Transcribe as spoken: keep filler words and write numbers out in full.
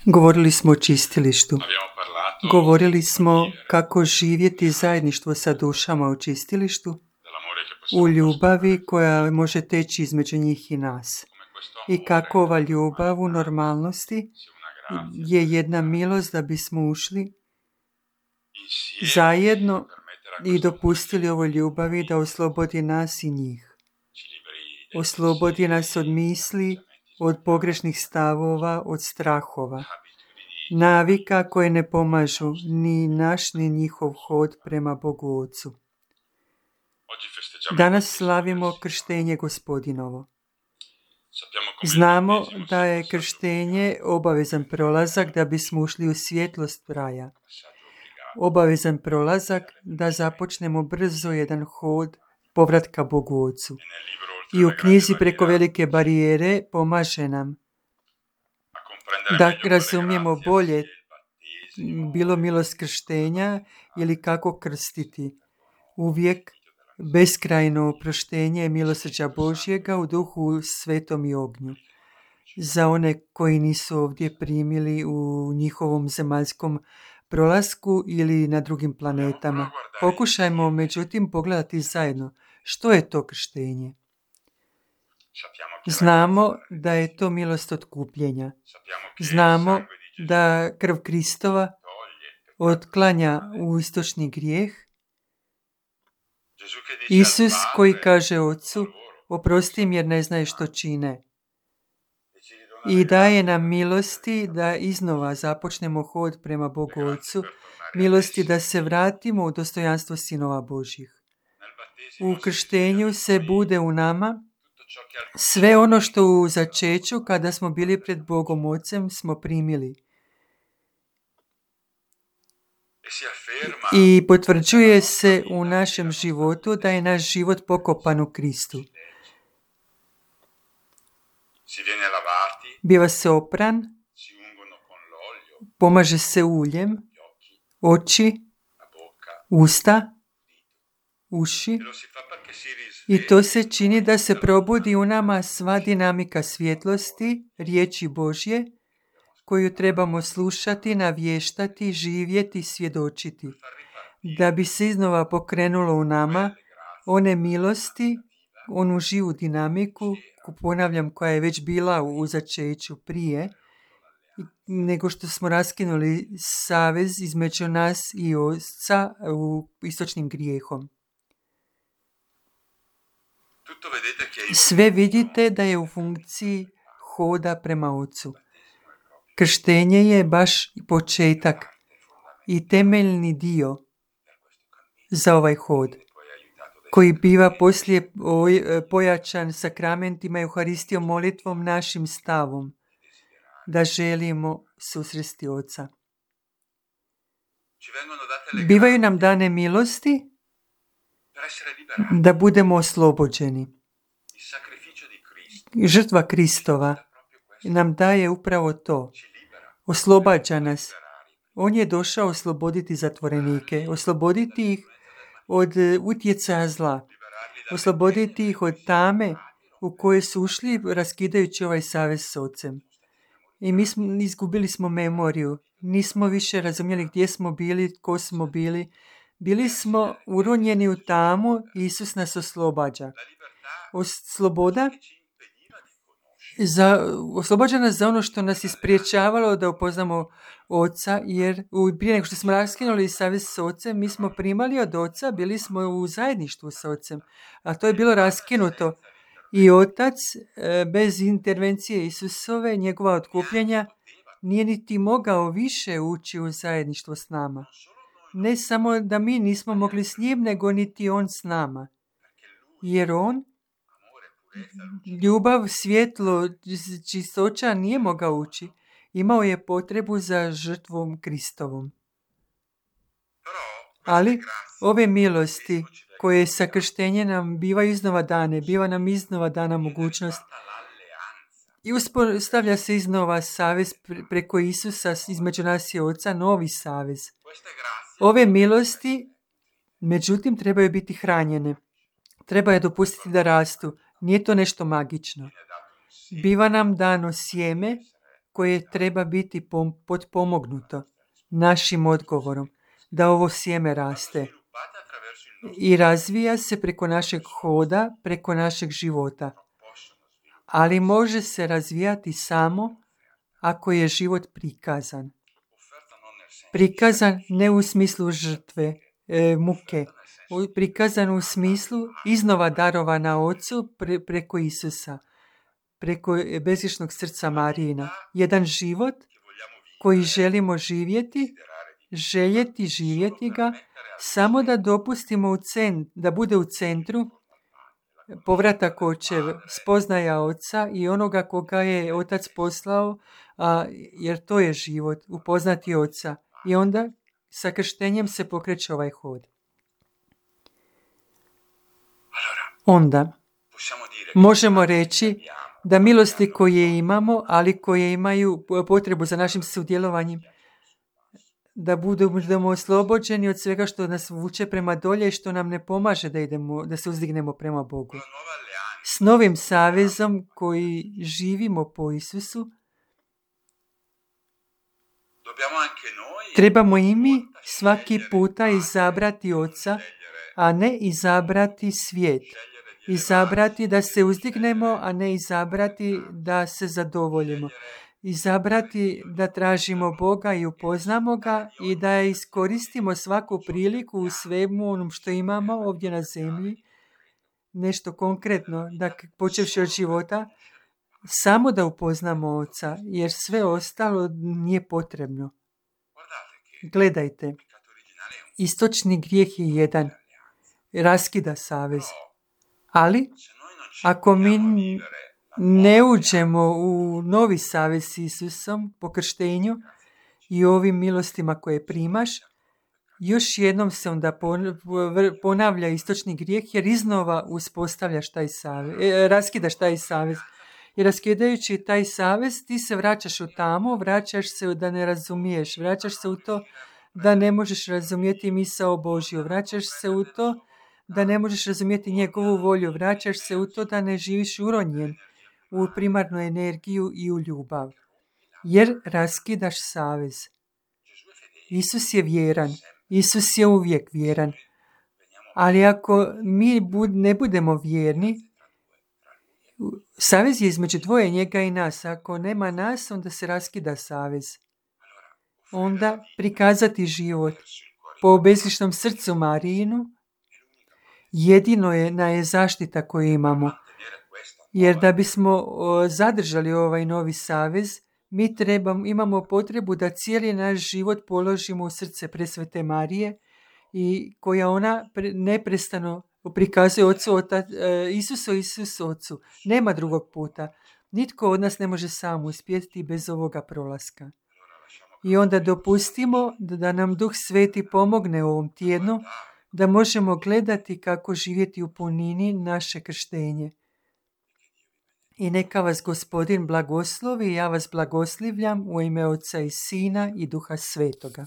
Govorili smo o čistilištu. Govorili smo kako živjeti zajedništvo sa dušama u čistilištu, u ljubavi koja može teći između njih i nas. I kako ova ljubav u normalnosti je jedna milost da bismo ušli zajedno i dopustili ovoj ljubavi da oslobodi nas i njih. Oslobodi nas od misli, od pogrešnih stavova, od strahova, navika koje ne pomažu ni naš ni njihov hod prema Bogu Ocu. Danas slavimo krštenje Gospodinovo. Znamo da je krštenje obavezan prolazak da bismo ušli u svjetlost raja. Obavezan prolazak da započnemo brzo jedan hod povratka Bogu Ocu. I u knjizi Preko velike barijere pomaže nam da razumijemo bolje bilo milost krštenja ili kako krstiti. Uvijek beskrajno oproštenje milosrđa Božjega u duhu svetom i ognju. Za one koji nisu ovdje primili u njihovom zemaljskom prolasku ili na drugim planetama. Pokušajmo međutim pogledati zajedno što je to krštenje. Znamo da je to milost otkupljenja. Znamo da krv Kristova otklanja u istočni grijeh. Isus koji kaže Ocu, oprosti im jer ne znaju što čine. I daje nam milosti da iznova započnemo hod prema Bogu Ocu, milosti da se vratimo u dostojanstvo sinova Božjih. U krštenju se bude u nama sve ono što u začeću kada smo bili pred Bogom Ocem smo primili. I potvrđuje se u našem životu da je naš život pokopan u Kristu. Biva se opran, pomaže se uljem, oči, usta, uši. I to se čini da se probudi u nama sva dinamika svjetlosti, riječi Božje, koju trebamo slušati, navještati, živjeti, svjedočiti. Da bi se iznova pokrenulo u nama one milosti, onu živu dinamiku, ponavljam, koja je već bila u začeću prije, nego što smo raskinuli savez između nas i Oca u istočnim grijehom. Sve vidite da je u funkciji hoda prema Ocu. Krštenje je baš početak i temeljni dio za ovaj hod, koji biva poslije pojačan sakramentima, Euharistijom, molitvom, našim stavom, da želimo susresti Oca. Bivaju nam dane milosti da budemo oslobođeni. Žrtva Kristova nam daje upravo to. Oslobađa nas. On je došao osloboditi zatvorenike, osloboditi ih od utjecaja zla, osloboditi ih od tame u koje su ušli raskidajući ovaj savez s Ocem. I mi smo, izgubili smo memoriju, nismo više razumjeli gdje smo bili, tko smo bili. Bili smo uronjeni u tamu, Isus nas oslobađa. Sloboda za, oslobađa nas za ono što nas je spriječavalo da upoznamo Oca, jer prije nego što smo raskinuli savez s Ocem, mi smo primali od Oca, bili smo u zajedništvu s Ocem, a to je bilo raskinuto. I Otac, bez intervencije Isusove, njegova otkupljenja, nije niti mogao više ući u zajedništvo s nama. Ne samo da mi nismo mogli s njim, nego niti on s nama. Jer on, ljubav, svjetlo, čistoća nije mogao ući. Imao je potrebu za žrtvom Kristovom. Ali ove milosti koje sa krštenjem nam biva iznova dane, biva nam iznova dana mogućnost i uspostavlja se iznova savez preko Isusa između nas i Oca, novi savez. Ove milosti, međutim, trebaju biti hranjene. Treba je dopustiti da rastu. Nije to nešto magično. Biva nam dano sjeme koje treba biti potpomognuto našim odgovorom, da ovo sjeme raste i razvija se preko našeg hoda, preko našeg života. Ali može se razvijati samo ako je život prikazan. Prikazan ne u smislu žrtve, e, muke, prikazan u smislu iznova darovana Ocu pre, preko Isusa, preko bezgrešnog srca Marijina. Jedan život koji želimo živjeti, željeti živjeti ga, samo da dopustimo u cent, da bude u centru povratak očev, spoznaja Oca i onoga koga je Otac poslao, a, jer to je život, upoznati Oca. I onda sa krštenjem se pokreće ovaj hod. Onda možemo reći da milosti koje imamo, ali koje imaju potrebu za našim sudjelovanjem, da budemo oslobođeni od svega što nas vuče prema dolje i što nam ne pomaže da idemo, da se uzdignemo prema Bogu. S novim savezom koji živimo po Isusu, trebamo i mi svaki puta izabrati Oca, a ne izabrati svijet. Izabrati da se uzdignemo, a ne izabrati da se zadovoljimo. Izabrati da tražimo Boga i upoznamo ga i da iskoristimo svaku priliku u svemu onom što imamo ovdje na zemlji, nešto konkretno, da počevši od života, samo da upoznamo Oca, jer sve ostalo nije potrebno. Gledajte, istočni grijeh je jedan, raskida savez. Ali, ako mi ne uđemo u novi savez s Isusom po krštenju i ovim milostima koje primaš, još jednom se onda ponavlja istočni grijeh jer iznova uspostavljaš taj savez, raskidaš taj savez. I raskidajući taj savez, ti se vraćaš u tamo, vraćaš se da ne razumiješ, vraćaš se u to da ne možeš razumjeti misao Božju, vraćaš se u to da ne možeš razumjeti njegovu volju, vraćaš se u to da ne živiš uronjen u primarnu energiju i u ljubav. Jer raskidaš savez. Isus je vjeran, Isus je uvijek vjeran. Ali ako mi ne budemo vjerni, savez je između dvoje, njega i nas. Ako nema nas, onda se raskida savez. Onda prikazati život po bezgrešnom srcu Marijinu jedino je na je zaštita koju imamo. Jer da bismo zadržali ovaj novi savez, mi trebamo, imamo potrebu da cijeli naš život položimo u srce presvete Marije i koja ona neprestano prikazuje Ocu, Otac, Isusu, Isusu, Ocu. Nema drugog puta. Nitko od nas ne može sam uspjeti bez ovoga prolaska. I onda dopustimo da nam Duh Sveti pomogne u ovom tjednu, da možemo gledati kako živjeti u punini naše krštenje. I neka vas Gospodin blagoslovi i ja vas blagoslivljam u ime Oca i Sina i Duha Svetoga.